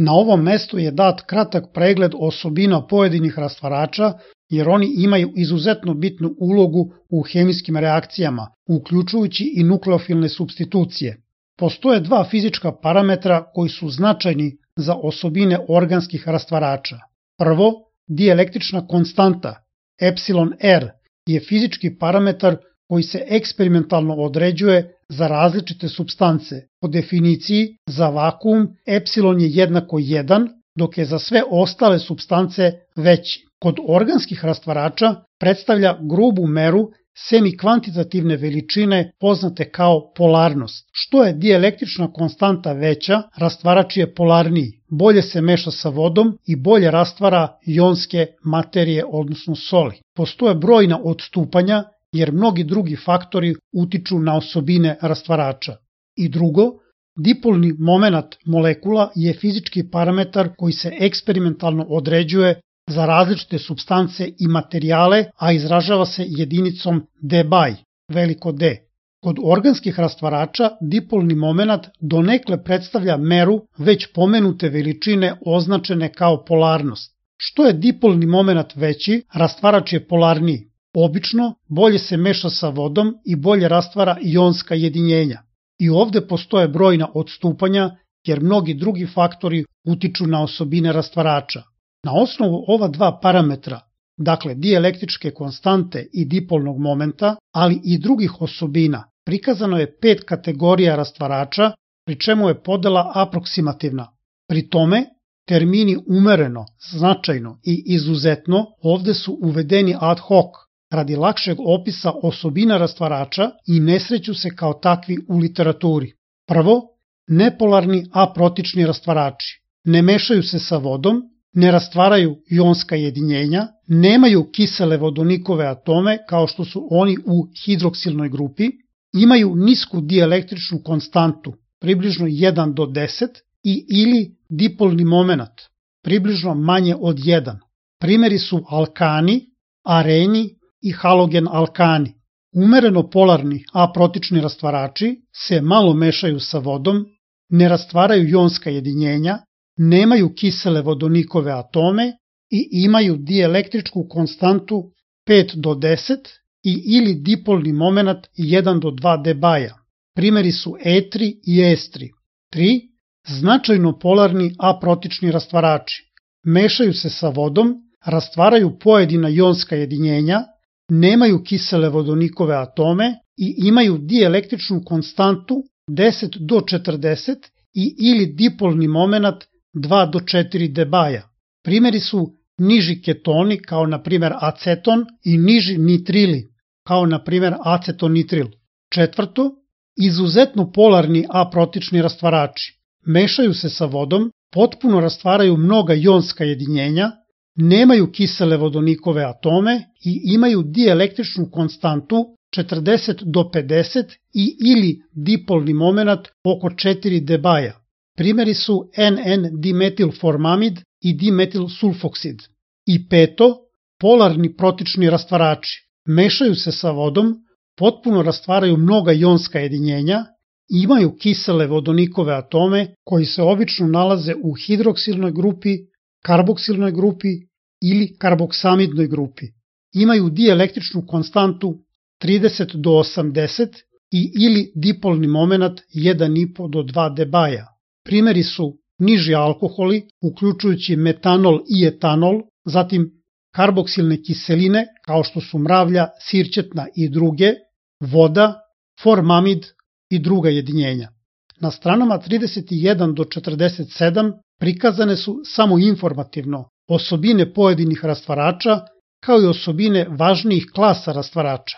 Na ovom mestu je dat kratak pregled osobina pojedinih rastvarača jer oni imaju izuzetno bitnu ulogu u hemijskim reakcijama, uključujući i nukleofilne supstitucije. Postoje dva fizička parametra koji su značajni za osobine organskih rastvarača. Prvo, dielektrična konstanta, epsilon R, je fizički parametar koji se eksperimentalno određuje za različite supstance. Po definiciji, za vakuum epsilon je jednako 1, dok je za sve ostale supstance veći. Kod organskih rastvarača predstavlja grubu meru semikvantitativne veličine poznate kao polarnost. Što je dielektrična konstanta veća, rastvarač je polarniji, bolje se meša sa vodom i bolje rastvara jonske materije, odnosno soli. Postoje brojna odstupanja jer mnogi drugi faktori utiču na osobine rastvarača. I drugo, dipolni momenat molekula je fizički parametar koji se eksperimentalno određuje za različite supstance i materijale, a izražava se jedinicom debye, veliko D. Kod organskih rastvarača dipolni momenat donekle predstavlja meru već pomenute veličine označene kao polarnost. Što je dipolni momenat veći, rastvarač je polarniji. Obično bolje se meša sa vodom i bolje rastvara ionska jedinjenja. I ovde postoje brojna odstupanja jer mnogi drugi faktori utiču na osobine rastvarača. Na osnovu ova dva parametra, dakle dielektričke konstante i dipolnog momenta, ali i drugih osobina, prikazano je 5 kategorija rastvarača, pri čemu je podela aproksimativna. Pri tome, termini umereno, značajno i izuzetno ovde su uvedeni ad hoc, radi lakšeg opisa osobina rastvarača i ne sreću se kao takvi u literaturi. Prvo, nepolarni aprotični rastvarači. Ne mešaju se sa vodom, ne rastvaraju ionska jedinjenja, nemaju kisele vodonikove atome kao što su oni u hidroksilnoj grupi, imaju nisku dielektričnu konstantu, približno 1 do 10, i ili dipolni momenat, približno manje od 1. Primeri su alkani, areni i halogen alkani. Umereno polarni aprotični rastvarači se malo mešaju sa vodom, ne rastvaraju ionska jedinjenja, nemaju kisele vodonikove atome i imaju dielektričku konstantu 5 do 10 i ili dipolni momenat 1 do 2 debaja. Primeri su etri i estri. 3. Značajno polarni aprotični rastvarači. Mešaju se sa vodom, rastvaraju pojedina ionska jedinjenja, nemaju kisele vodonikove atome i imaju dielektričnu konstantu 10 do 40 i ili dipolni momenat 2 do 4 debaja. Primeri su niži ketoni kao na primjer aceton i niži nitrili kao na primjer acetonitril. 4. Izuzetno polarni aprotični rastvarači. Mešaju se sa vodom, potpuno rastvaraju mnoga ionska jedinjenja, nemaju kisele vodonikove atome i imaju dielektričnu konstantu 40 do 50 i ili dipolni momenat oko 4 debaja. Primeri su NN-dimetilformamid i dimetilsulfoksid. I 5. Polarni protični rastvarači. Mešaju se sa vodom, potpuno rastvaraju mnoga ionska jedinjenja, imaju kisele vodonikove atome koji se obično nalaze u hidroksilnoj grupi, karboksilnoj grupi ili karboksamidnoj grupi. Imaju dielektričnu konstantu 30 do 80 i ili dipolni momenat 1,5 do 2 debaja. Primeri su niži alkoholi, uključujući metanol i etanol, zatim karboksilne kiseline kao što su mravlja, sirćetna i druge, voda, formamid i druga jedinjenja. Na stranama 31 do 47 prikazane su samo informativno osobine pojedinih rastvarača kao i osobine važnijih klasa rastvarača.